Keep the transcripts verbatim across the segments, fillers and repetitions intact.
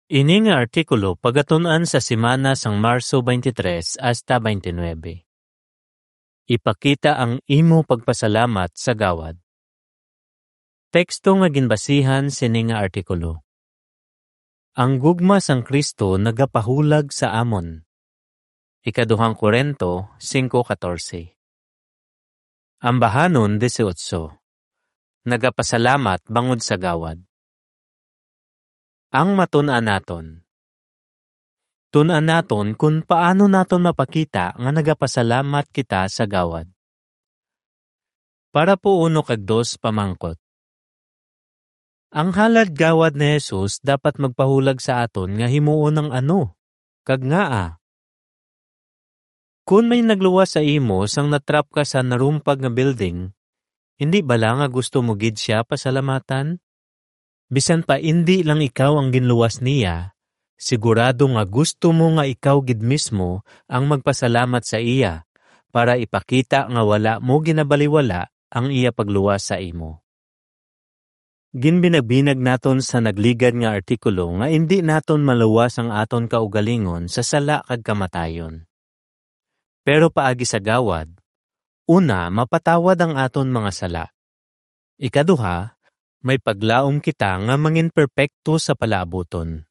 Ini nga artikulo pagatun-an sa semana sang Marso twenty-three hasta twenty-nine. Ipakita ang imo pagpasalamat sa gawad. Teksto nga ginbasihan sini nga artikulo. Ang gugma sang Cristo nagapahulag sa amon. Ikaduhang Corinto singko katorse. Ambahanon dieciocho. Nagapasalamat bangod sa gawad. Ang matun-an naton. Tun-an naton kon paano naton mapakita nga nagapasalamat kita sa gawad. Parapo uno kag dos pamangkot. Ang halad gawad ni Jesus dapat magpahulag sa aton nga himuon ang ano, kag ngaa. Kon may nagluwas sa imo sang natrap ka sa narumpag nga building, indi bala nga gusto mo gid sia pasalamatan? Bisan pa indi lang ikaw ang ginluwas niya, sigurado nga gusto mo nga ikaw gid mismo ang magpasalamat sa iya para ipakita nga wala mo ginabaliwala ang iya pagluwas sa imo. Ginbinagbinag naton sa nagligad nga artikulo nga indi naton maluwas ang aton kaugalingon sa sala kag kamatayon. Pero paagi sa gawad, una, mapatawad ang aton mga sala. Ikaduha, may paglaom kita nga mangin perpekto sa palaabuton.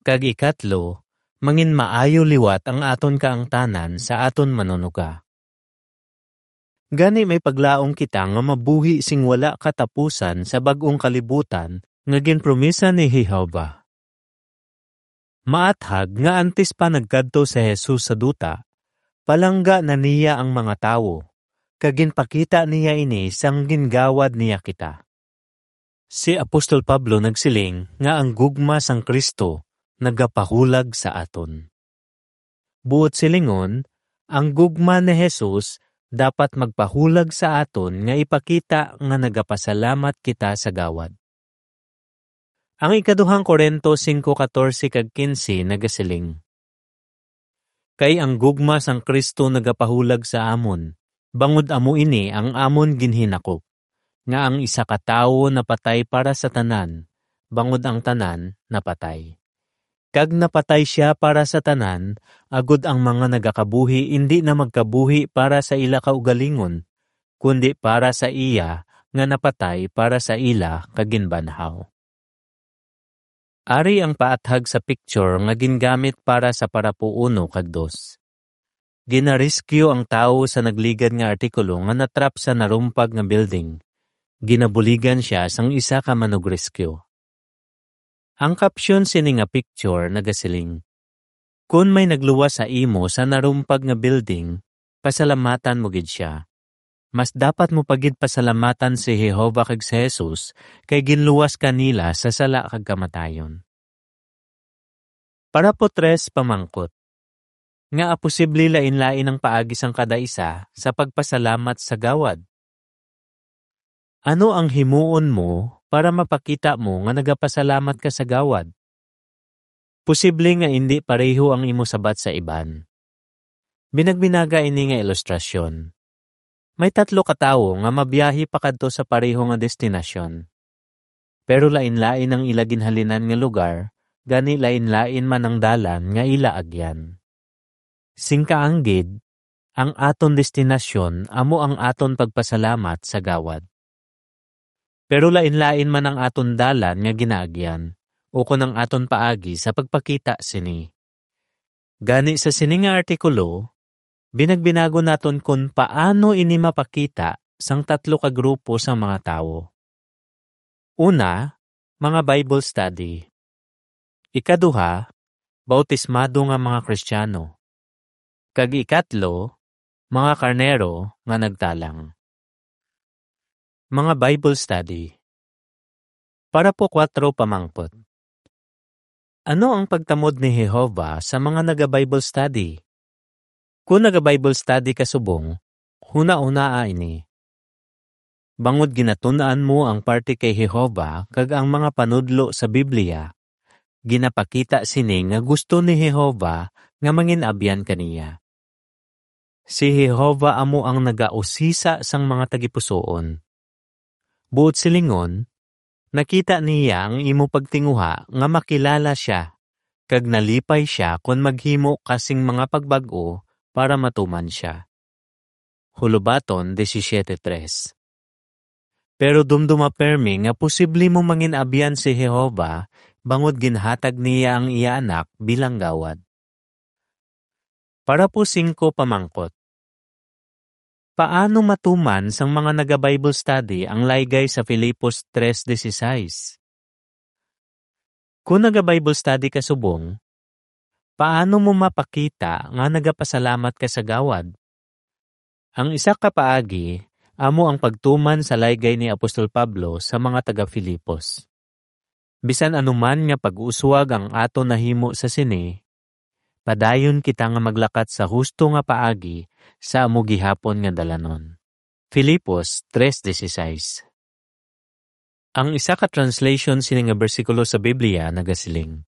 Kag ikatlo, mangin maayo liwat ang aton kaangtanan sa aton Manunuga. Gani may paglaom kita nga mabuhi sing wala katapusan sa bag-ong kalibutan nga ginpromisa ni Jehovah. Maathag nga antes pa nagkadto si Jesus sa duta, palangga na niya ang mga tawo, kag ginpakita niya ini sang gingawad niya kita. Si Apostol Pablo nagsiling nga ang gugma sang Cristo nagapahulag sa aton. Buot silingon, ang gugma ni Jesus dapat magpahulag sa aton nga ipakita nga nagapasalamat kita sa gawad. Ang ikaduhang Corinto singko katorse kag kinse nagasiling, "Kay ang gugma sang Cristo nagapahulag sa amon, bangod amo ini ang amon ginhinakop, nga ang isa ka tawo napatay para sa tanan, bangod ang tanan napatay. Kag napatay sia para sa tanan, agod ang mga nagakabuhi indi na magkabuhi para sa ila kaugalingon, kundi para sa iya nga napatay para sa ila kag ginbanhaw." Ari ang paathag sa picture nga gingamit para sa parapo uno kag dos. Ginarescue ang tawo sa nagligad nga artikulo nga natrap sa narumpag nga building. Ginabuligan sia sang isa ka manugrescue. Ang caption sini nga picture nagasiling, "Kon may nagluwas sa imo sa narumpag nga building, pasalamatan mo gid sia. Mas dapat mo pa gid pasalamatan si Jehovah kag si Jesus, kay ginluwas ka nila sa sala kag kamatayon." Parapo tres pamangkot. Ngaa posible lain-lain ang paagi sang kada isa sa pagpasalamat sa gawad? Ano ang himuon mo para mapakita mo nga nagapasalamat ka sa gawad? Posible nga indi pareho ang imo sabat sa iban. Binagbinaga ini nga ilustrasyon. May tatlo ka tawo nga mabiyahe pakadto sa pareho nga destinasyon. Pero lain-lain ang ila ginhalinan nga lugar, gani lain-lain man ang dalan nga ila agyan. Sing kaanggid, ang aton destinasyon amo ang aton pagpasalamat sa gawad. Pero lain-lain man ang aton dalan nga ginaagyan, ukon ang aton paagi sa pagpakita sini. Gani sa sini nga artikulo, binagbinagon naton kon paano ini mapakita sang tatlo ka grupo sang mga tawo. Una, mga Bible study. Ikaduha, bautismado nga mga Kristiyano. Kag ikatlo, mga karnero nga nagtalang. Mga Bible study. Parapo kuwatro pamangkot. Ano ang pagtamod ni Jehovah sa mga naga-Bible study? Kon naga-Bible study ka subong, hunahunaa ini. Bangod ginatun-an mo ang parte kay Jehovah kag ang mga panudlo sa Biblia, ginapakita sini nga gusto ni Jehovah nga mangin-abyan ka niya. Si Jehovah amo ang nagausisa sang mga tagipusoon. Buot silingon, nakita niya ang imo pagtinguha nga makilala sia kag nalipay sia kon maghimo ka sing mga pagbag-o para matuman sia. Hulubaton disisiete tres. Pero dumduma permi nga posible mo mangin-abyan si Jehovah bangod ginhatag niya ang iya Anak bilang gawad. Parapo singko pamangkot. Paano matuman sang mga naga-Bible study ang laygay sa Filipos tres dieciséis? Kon naga-Bible study ka subong, paano mo mapakita nga nagapasalamat ka sa gawad? Ang isa ka paagi amo ang pagtuman sa laygay ni Apostol Pablo sa mga taga-Filipos. Bisan ano man nga pag-uswag ang aton nahimo sa sini, padayon kita nga maglakat sa husto nga paagi sa amo gihapon nga dalanon. Filipos tres dieciséis. Ang isa ka translation sini nga bersikulo sa Biblia nagasiling,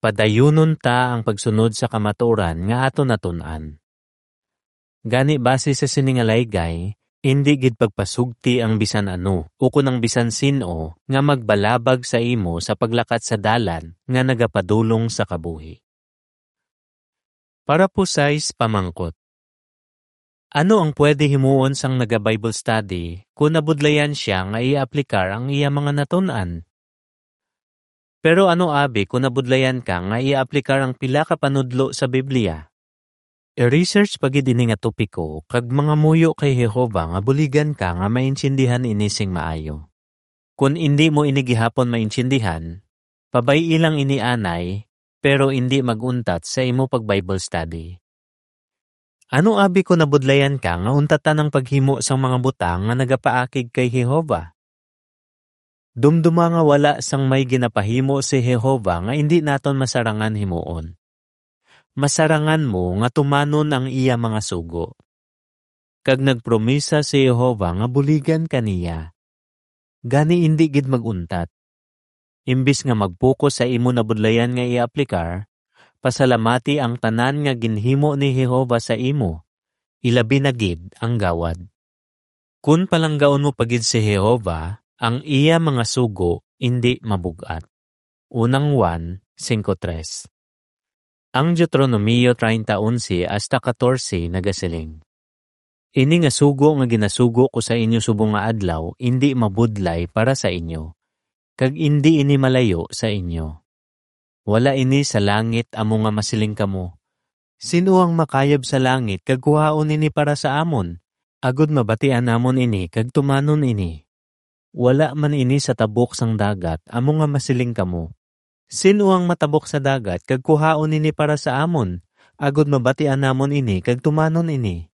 "Padayunon ta ang pagsunod sa kamatuoran nga aton natun-an." Gani, base sa sini nga laygay, indi gid pagpasugti ang bisan ano ukon ang bisan sin-o nga magbalabag sa imo sa paglakat sa dalan nga nagapadulong sa kabuhi. Parapo sais pamangkot. Ano ang pwede himuon sang naga-Bible study kon nabudlayan sia nga i-aplikar ang iya mga natun-an? Pero ano abi kon nabudlayan ka nga i-aplikar ang pila ka panudlo sa Biblia? I-research pa gid ini nga topiko kag mangamuyo kay Jehovah nga buligan ka nga maintindihan ini sing maayo. Kon indi mo ini gihapon maintindihan, pabay-i lang ini anay, pero indi mag-untat sa imo pag-Bible study. Ano abi kon nabudlayan ka nga untatan ang paghimo sang mga butang nga nagapaakig kay Jehovah? Dumduma nga wala sang may ginapahimo si Jehovah nga indi naton masarangan himuon. Masarangan mo nga tumanon ang iya mga sugo. Kag nagpromisa si Jehovah nga buligan ka niya. Gani indi gid mag-untat. Imbis nga mag-focus sa imo nabudlayan nga i-aplikar, pasalamati ang tanan nga ginhimo ni Jehovah sa imo, ilabi na gid ang gawad. Kun palanggaon mo pa gid si Jehovah, ang iya mga sugo indi mabug-at. Unang Juan singko tres. Ang Deuteronomio treinta onse hasta katorse nagasiling, "Ini nga sugo nga ginasugo ko sa inyo subong nga adlaw indi mabudlay para sa inyo, kag indi ini malayo sa inyo. Wala ini sa langit amo nga masiling kamo, 'Sin-o ang makayab sa langit kag kuhaon ini para sa amon, agud mabatian namon ini kag tumanon ini'? Wala man ini sa tabok sang dagat amo nga masiling kamo, 'Sin-o ang matabok sa dagat kag kuhaon ini para sa amon, agud mabatian namon ini kag tumanon ini'?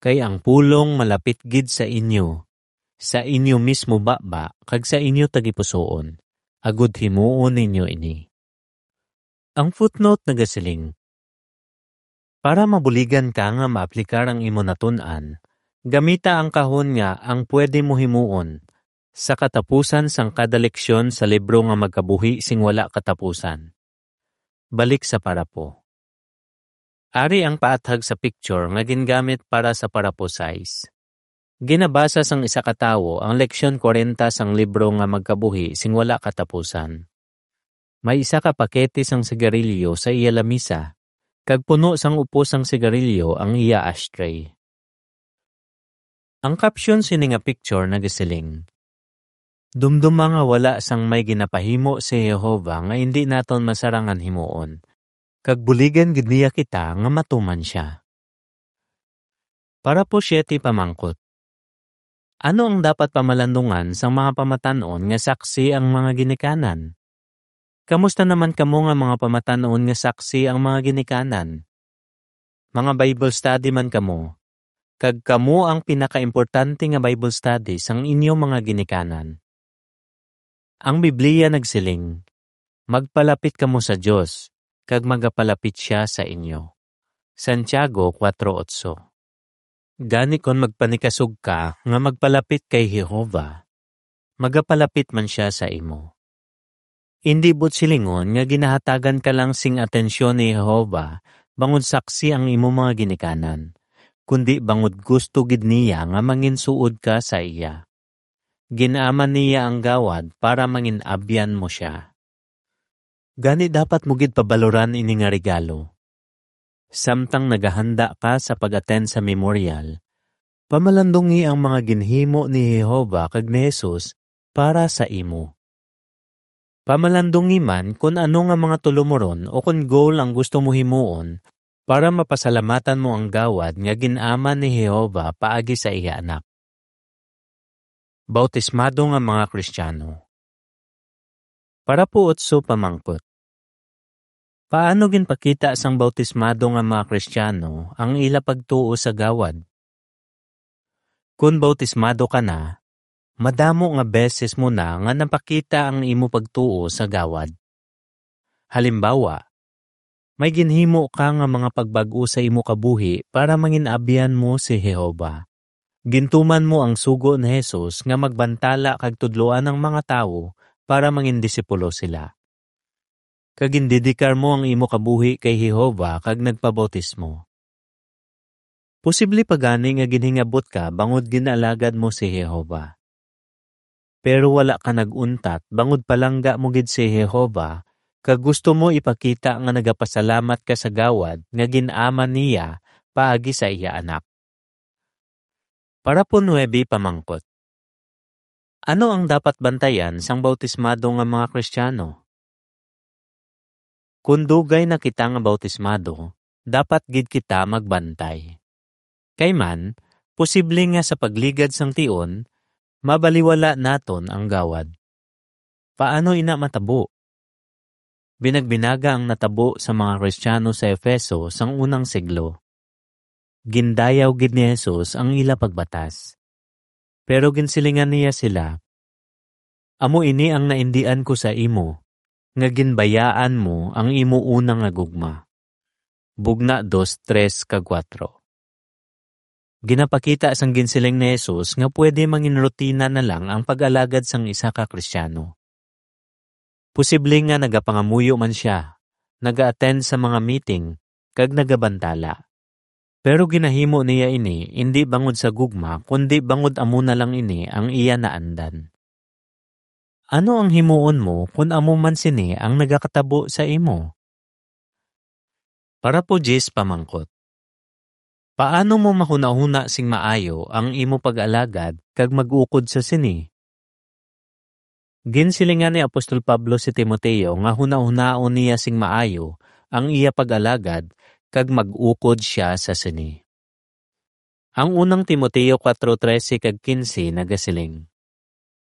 Kay ang pulong malapit gid sa inyo, sa inyo mismo baba kag sa inyo tagipusoon, agud himuon ninyo ini." Ang footnote nagasiling, "Para mabuligan ka nga maaplikar ang imo natun-an, gamita ang kahon nga Ang Pwede Mo Himuon sa katapusan sang kada leksyon sa libro nga Magkabuhi sing Wala Katapusan." Balik sa parapo. Ari ang paathag sa picture nga gingamit para sa parapo sais. Ginabasa sang isa ka tawo ang leksyon kwarenta sang libro nga Magkabuhi sing Wala Katapusan. May isa ka pakete sang sigarilyo sa iya lamisa, kag puno sang upos sang sigarilyo ang iya ashtray. Ang caption sini nga picture nagasiling, "Dumduma nga wala sang may ginapahimo si Jehovah nga indi naton masarangan himuon, kag buligan gid niya kita nga matuman sia." Parapo siete pamangkot. Ano ang dapat pamalandungan sang mga pamatan-on nga saksi ang mga ginikanan? Kamusta naman kamo nga mga pamatan-on nga saksi ang mga ginikanan? Mga Bible study man kamo, kag kamo ang pinakaimportante nga Bible study sang inyo mga ginikanan. Ang Biblia nagsiling, "Magpalapit kamo sa Dios, kag magapalapit sia sa inyo." Santiago kuwatro otso. Gani, kon magpanikasog ka nga magpalapit kay Jehovah, magapalapit man sia sa imo. Indi buot silingon nga ginahatagan ka lang sing atensyon ni Jehovah bangod saksi ang imo mga ginikanan, kundi bangod gusto gid niya nga manginsuod ka sa iya. Gin-aman niya ang gawad para mangin-abyan mo sia. Gani, dapat mo gid pabaloran ini nga regalo. Samtang nagahanda ka sa pag-attend sa memorial, pamalandungi ang mga ginhimo ni Jehovah kag ni Jesus para sa imo. Pamalandungi man kon ano nga mga tulumoron o kon goal ang gusto mo himuon para mapasalamatan mo ang gawad nga gin-aman ni Jehovah paagi sa iya Anak. Bautismado nga mga Kristiyano. Para po otso pamangkot. Paano ginpakita sang bautismado nga mga Kristiyano ang ila pagtuo sa gawad? Kon bautismado ka na, madamo nga beses mo na nga napakita ang imo pagtuo sa gawad. Halimbawa, may ginhimo ka nga mga pagbag-o sa imo kabuhi para mangin-abyan mo si Jehovah. Gintuman mo ang sugo ni Jesus nga magbantala kag tudloan ang mga tawo para mangin disipulo sila. Kag gindedikar mo ang imo kabuhi kay Jehovah kag nagpabautismo. Posible pa gani nga ginhingabot ka bangod ginalagad mo si Jehovah. Pero wala ka nag-untat bangod palangga mo gid si Jehovah kag gusto mo ipakita nga nagapasalamat ka sa gawad nga gin-aman niya paagi sa iya Anak. Parapo nuebe pamangkot. Ano ang dapat bantayan sang bautismado nga mga Kristiyano? Kon dugay na kita nga bautismado, dapat gid kita magbantay. Kay man, posible nga sa pagligad sang tion, mabaliwala naton ang gawad. Paano ina matabo? Binagbinaga ang natabo sa mga Kristiyano sa Efeso sang unang siglo. Gindayaw gid ni Jesus ang ila pagbatas. Pero ginsilingan niya sila, "Amo ini ang naindian ko sa imo, nga ginbayaan mo ang imo una nga gugma." Bugna dos, tres kag kuwatro. Ginapakita sang ginsiling ni Jesus nga pwede mangin rutina na lang ang pag-alagad sang isa ka Kristiyano. Posible nga nagapangamuyo man sia, naga-attend sa mga meeting, kag nagabantala. Pero ginahimo niya ini indi bangod sa gugma, kundi bangod amo na lang ini ang iya naandan. Ano ang himuon mo kon amo man sini ang nagakatabo sa imo? Parapo diyes pamangkot. Paano mo mahunahuna sing maayo ang imo pag-alagad kag mag-ukod sa sini? Ginsilingan ni Apostol Pablo si Timoteo nga hunahunaon niya sing maayo ang iya pag-alagad kag mag-ukod sia sa sini. Ang unang Timoteo kuwatro trese kag kinse nagasiling,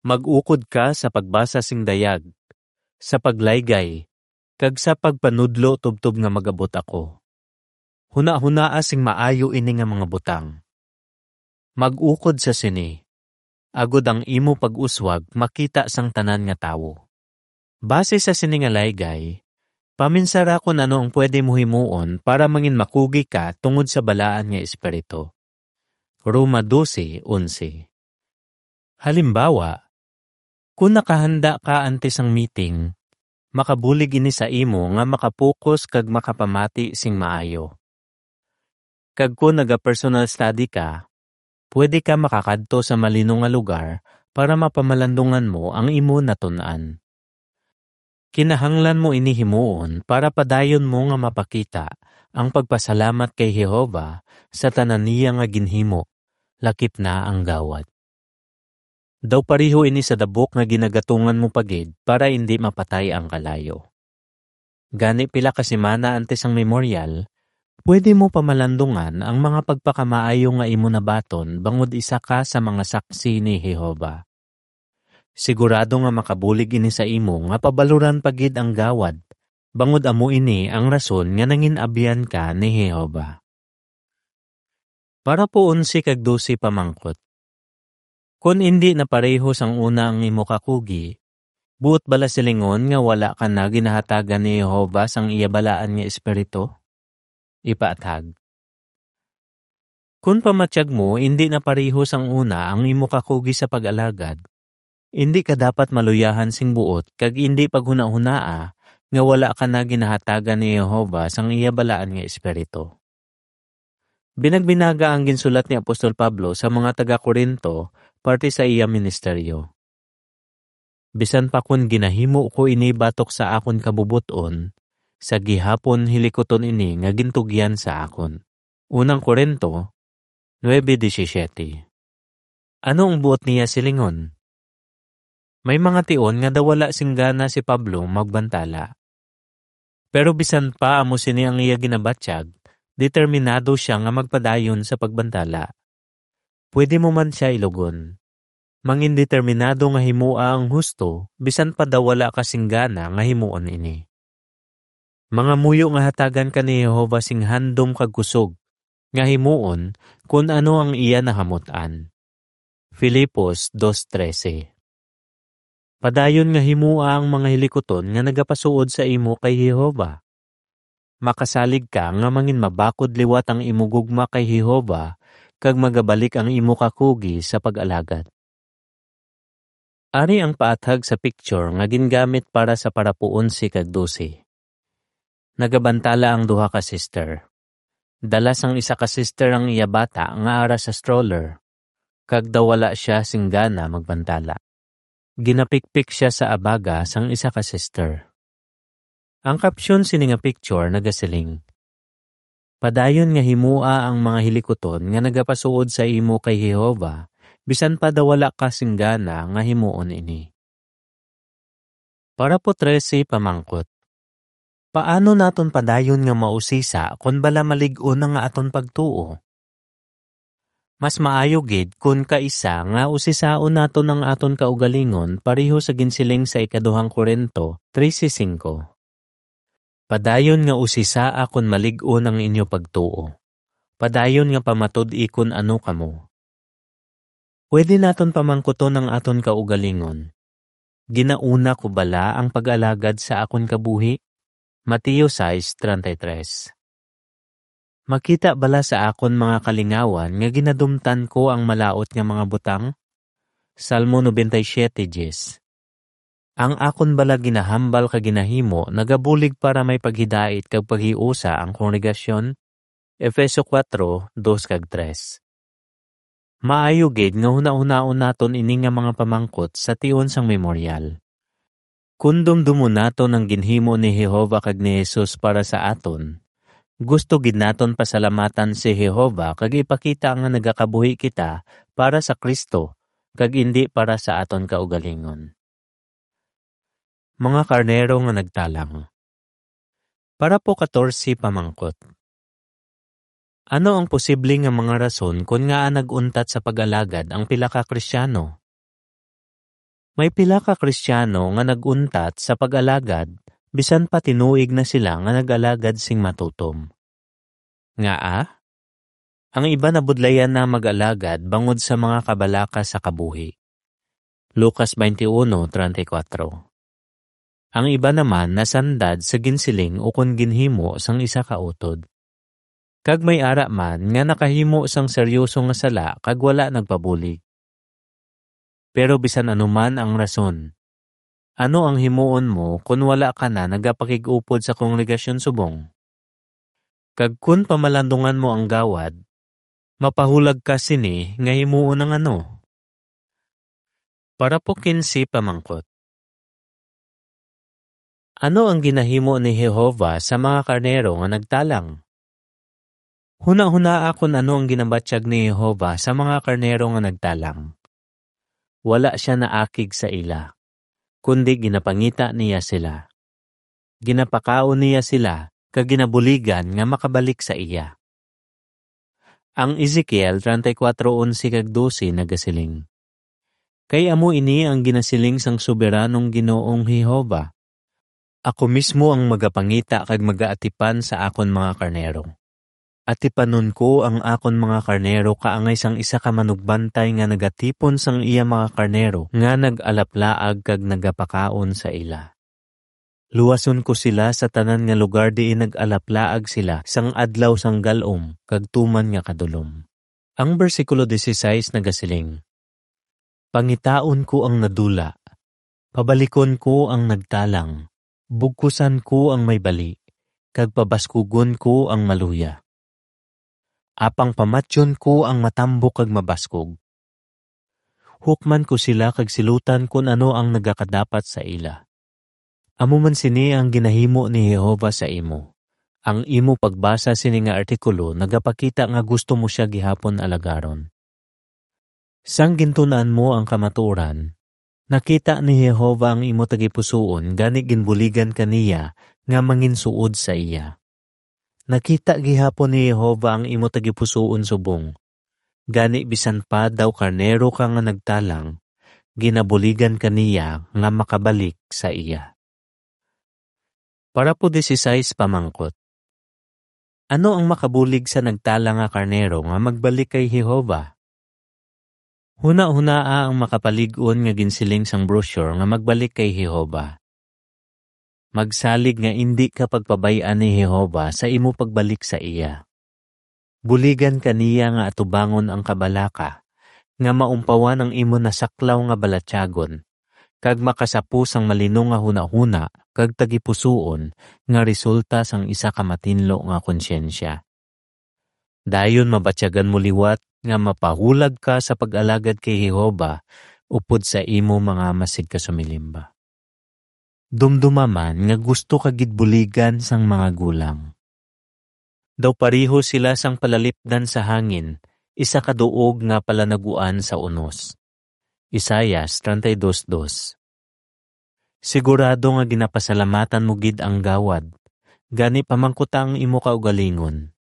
"Mag-ukod ka sa pagbasa sing dayag, sa paglaygay, kag sa pagpanudlo tubtob nga mag-abot ako." Hunahunaa sing maayo ini nga mga butang. Mag-ukod sa sini, agod ang imo pag-uswag makita sang tanan nga tawo. Base sa sini nga laygay, paminsara kon ano ang pwede mo himuon para mangin makugi ka tungod sa balaan nga espiritu. Roma dose onse. Halimbawa, kon nakahanda ka antes sang meeting, makabulig ini sa imo nga makapokus kag makapamati sing maayo. Kag kon naga-personal study ka, pwede ka makakadto sa malino nga lugar para mapamalandungan mo ang imo natun-an. Kinahanglan mo ini himuon para padayon mo nga mapakita ang pagpasalamat kay Jehovah sa tanan niya nga ginhimo, lakip na ang gawad. Daw pareho ini sa dabok nga ginagatungan mo pa gid para indi mapatay ang kalayo. Gani, pila ka semana antes ang memorial, pwede mo pamalandungan ang mga pagpakamaayo nga imo nabaton bangod isa ka sa mga saksi ni Jehovah. Sigurado nga makabulig ini sa imo nga pabaloran pa gid ang gawad, bangod amo ini ang rason nga nangin-abyan ka ni Jehovah. Parapo onse kag dose pamangkot. Kon indi na pareho sang una ang imo kakugi, buot bala silingon nga wala ka na ginahatagan ni Jehovah sang iya balaan nga Espiritu? Ipaathag. Kon pamatyag mo indi na pareho sang una ang imo kakugi sa pag-alagad, indi ka dapat maluyahan sing buot kag indi paghunahunaa nga wala ka na ginahatagan ni Jehovah sang iya balaan nga Espiritu. Binagbinaga ang ginsulat ni Apostol Pablo sa mga taga-Corinto parte sa iya ministeryo. bisan pa kon ginahimo ko ini batok sa akon kabubot-on, sa gihapon hilikuton ini nga gintugyan sa akon. Unang Corinto nuebe disisiete. Ano ang buot niya silingon? May mga tion nga daw wala sing gana si Pablo magbantala. Pero bisan pa amo sini ang iya ginabatyag, determinado sia nga magpadayon sa pagbantala. Pwede mo man sia ilugon. Mangin determinado nga himoa ang husto, bisan pa daw wala ka sing gana nga himuon ini. Mga muyo nga hatagan ka ni Jehovah sing handom kag kusog nga himuon kon ano ang iya nahamut-an. Filipos dos trese. Padayon nga himoa ang mga hilikuton nga nagapasuod sa imo kay Jehovah. Makasalig ka nga mangin mabakod liwat ang imo gugma kay Jehovah kag magabalik ang imo kakugi sa pag-alagad. Ari ang paathag sa picture nga gingamit para sa parapo onse kag dose. Nagabantala ang duha ka sister. Dala sang isa ka sister ang iya bata nga ara sa stroller, kag daw wala sia sing gana magbantala. Ginapikpik sia sa abaga sang isa ka sister. Ang caption sini nga picture nagasiling, "Padayon nga himoa ang mga hilikuton nga nagapasuod sa imo kay Jehovah, bisan pa daw wala ka sing gana nga himuon ini." Parapo trese, pamangkot. Paano naton padayon nga mausisa kon bala malig-on na nga aton pagtuo? Mas maayo gid kon kaisa nga usisaon naton ang aton kaugalingon, pareho sa ginsiling sa ikaduhang Corinto trese singko. Padayon nga usisaa kon malig-on ang inyo pagtuo. Padayon nga pamatud-i kon ano kamo. Pwede naton pamangkuton ang aton kaugalingon, "Ginauna ko bala ang pag-alagad sa akon kabuhi?" Mateo sais treinta y tres. "Makita bala sa akon mga kalingawan nga ginadumtan ko ang malaut nga mga butang?" Salmo noventa y siete diez. "Ang akon bala ginahambal kag ginahimo nagabulig para may paghidait kag paghiusa ang kongregasyon?" Efeso kuwatro, dos kag tres. Maayo gid nga hunahunaon naton ini nga mga pamangkot sa tion sang Memorial. Kon dumdomon naton ang ginhimo ni Jehovah kag ni Jesus para sa aton, gusto gid naton pasalamatan si Jehovah kag ipakita nga nagakabuhi kita para sa Cristo kag indi para sa aton kaugalingon. Mga karnero nga nagtalang. Parapo katorse, pamangkot. Ano ang posible nga mga rason kon ngaa nag-untat sa pag-alagad ang pila ka Kristiano? May pila ka Kristiano nga nag-untat sa pag-alagad bisan pa tinuig na sila nga nag-alagad sing matutom. Ngaa? Ang iban nabudlayan na mag-alagad bangod sa mga kabalaka sa kabuhi. Lucas twenty-one treinta y cuatro. Ang iban naman nasandad sa ginsiling ukon ginhimo sang isa ka utod. Kag may ara man nga nakahimo sang seryoso nga sala kag wala nagpabulig. Pero bisan ano man ang rason, ano ang himuon mo kon wala ka na nagapakig-upod sa kongregasyon subong? Kag kon pamalandungan mo ang gawad, mapahulag ka sini nga himuon ang ano? Parapo kinse, pamangkot. Ano ang ginahimo ni Jehovah sa mga karnero nga nagtalang? Hunahunaa kon ano ang ginabatyag ni Jehovah sa mga karnero nga nagtalang. Wala sia naakig sa ila, kundi ginapangita niya sila. Ginapakaon niya sila kag ginabuligan nga makabalik sa iya. Ang Ezekiel treinta y cuatro once kag doce nagasiling, "Kay amo ini ang ginasiling sang Soberanong Ginoong Jehovah, 'Ako mismo ang magapangita kag magaatipan sa akon mga karnero. Atipanon ko ang akon mga karnero kaangay sang isa ka manugbantay nga nagatipon sang iya mga karnero nga nag-alaplaag kag nagapakaon sa ila. Luwason ko sila sa tanan nga lugar diin nag-alaplaag sila sang adlaw sang gal-om kag tuman nga kadulom.'" Ang bersikulo dieciséis nagasiling, "Pangitaon ko ang nadula, pabalikon ko ang nagtalang, bugkusan ko ang may bali, kag pabaskugon ko ang maluya. Apang pamatyon ko ang matambok kag mabaskog." hukman ko sila kag silutan kon ano ang nagakadapat sa ila. Amo man sini ang ginahimo ni Jehovah sa imo. Ang imo pagbasa sini nga artikulo nagapakita nga gusto mo sia gihapon alagaron. Sang gintun-an mo ang kamatuoran, nakita ni Jehovah ang imo tagipusoon, gani ginbuligan ka niya nga manginsuod sa iya. Nakita gihapon ni Jehovah ang imo tagipusoon subong. Gani, bisan pa daw karnero ka nga nagtalang, ginabuligan ka niya nga makabalik sa iya. Parapo disisais, pamangkot. Ano ang makabulig sa nagtalang nga karnero nga magbalik kay Jehovah? Hunahunaa ang makapalig-on nga ginsiling sang brochure nga magbalik kay Jehovah. Magsalig nga indi ka pagpabay-an ni Jehovah sa imo pagbalik sa iya. Buligan ka niya nga atubangon ang kabalaka, nga maumpawan ang imo nasaklaw nga balatyagon, kag makasapo sang malino nga hunahuna kag tagipusoon nga resulta sang isa ka matinlo nga konsyensya. Dayon mabatyagan mo liwat nga mapahulag ka sa pag-alagad kay Jehovah upod sa imo mga masig ka sumilimba. Dumduma man nga gusto ka gid buligan sang mga gulang. Daw pareho sila sang palalipdan sa hangin, isa ka duog nga palanaguan sa unos. Isaias treinta y dos dos. Sigurado nga ginapasalamatan mo gid ang gawad, gani pamangkuta ang imo kaugalingon.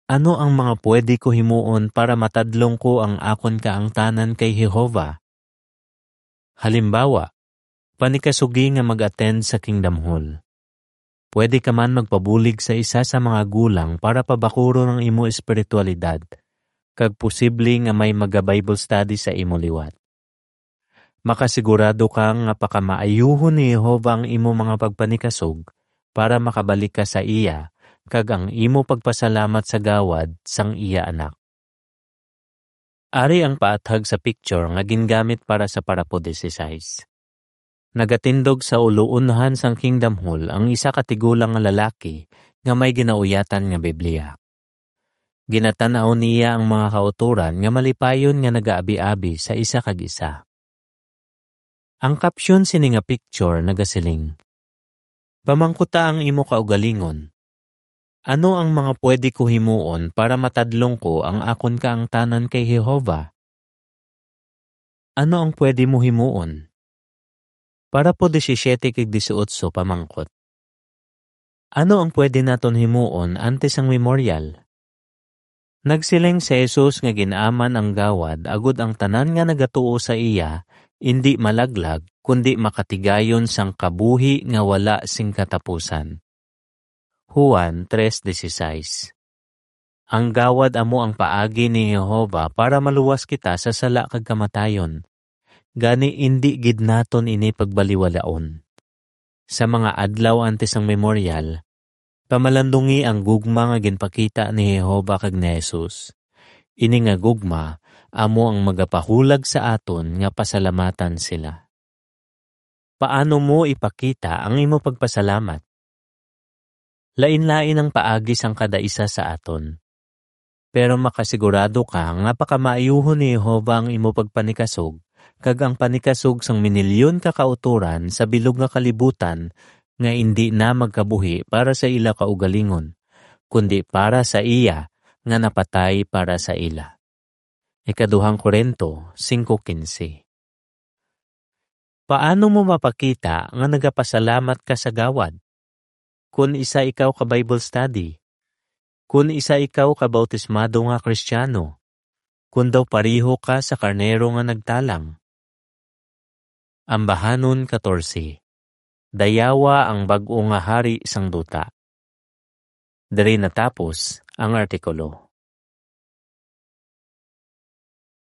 Ano ang mga pwede ko himuon para matadlong ko ang akon kaangtanan kay Jehovah? Halimbawa, panikasugi nga mag-attend sa Kingdom Hall. Pwede ka man magpabulig sa isa sa mga gulang para pabakuron ang imo espiritualidad, kag posible nga may maga-Bible study sa imo liwat. Makasigurado ka nga pakamaayuhon ni Jehovah ang imo mga pagpanikasog para makabalik ka sa iya, kag ang imo pagpasalamat sa gawad sang iya anak. Ari ang paathag sa picture nga gingamit para sa parapo disisais. Nagatindog sa uluunhan sang Kingdom Hall ang isa ka tigulang nga lalaki nga may ginauyatan nga Biblia. Ginatan-aw niya ang mga kautoran nga malipayon nga nagaabi-abi sa isa kag isa. Ang caption sini nga picture nagasiling, "Pamangkuta ang imo kaugalingon, 'Ano ang mga pwede ko himuon para matadlong ko ang akon kaangtanan kay Jehovah?'" Ano ang pwede mo himuon? Parapo disisiete kag disiotso, pamangkot. Ano ang pwede naton himuon antes sang memorial? Nagsiling si Jesus nga gin-aman ang gawad agod ang tanan nga nagatuo sa iya indi malaglag, kundi makatigayon sang kabuhi nga wala sing katapusan. Juan tres dieciséis. Ang gawad amo ang paagi ni Jehovah para maluwas kita sa sala kag kamatayon. Gani, indi gid naton ini pagbaliwalaon. Sa mga adlaw antes sang memorial, pamalandungi ang gugma nga ginpakita ni Jehovah kag ni Jesus. Ini nga gugma amo ang magapahulag sa aton nga pasalamatan sila. Paano mo ipakita ang imo pagpasalamat? Lain-lain ang paagi sang kada isa sa aton. Pero makasigurado ka nga pakamaayuhon ni Jehovah ang imo pagpanikasog kag ang panikasog sang minilyon ka kautoran sa bilog nga kalibutan nga indi na magkabuhi para sa ila kaugalingon, kundi para sa iya nga napatay para sa ila. Ikaduhang Corinto singko quince. Paano mo mapakita nga nagapasalamat ka sa gawad? Kon isa ikaw ka Bible study, kon isa ikaw ka bautismado nga Kristiano, kon daw pareho ka sa karnero nga nagtalang. Ambahanon katorse. Dayawa ang bag-o nga hari sang duta. Diri natapos ang artikulo.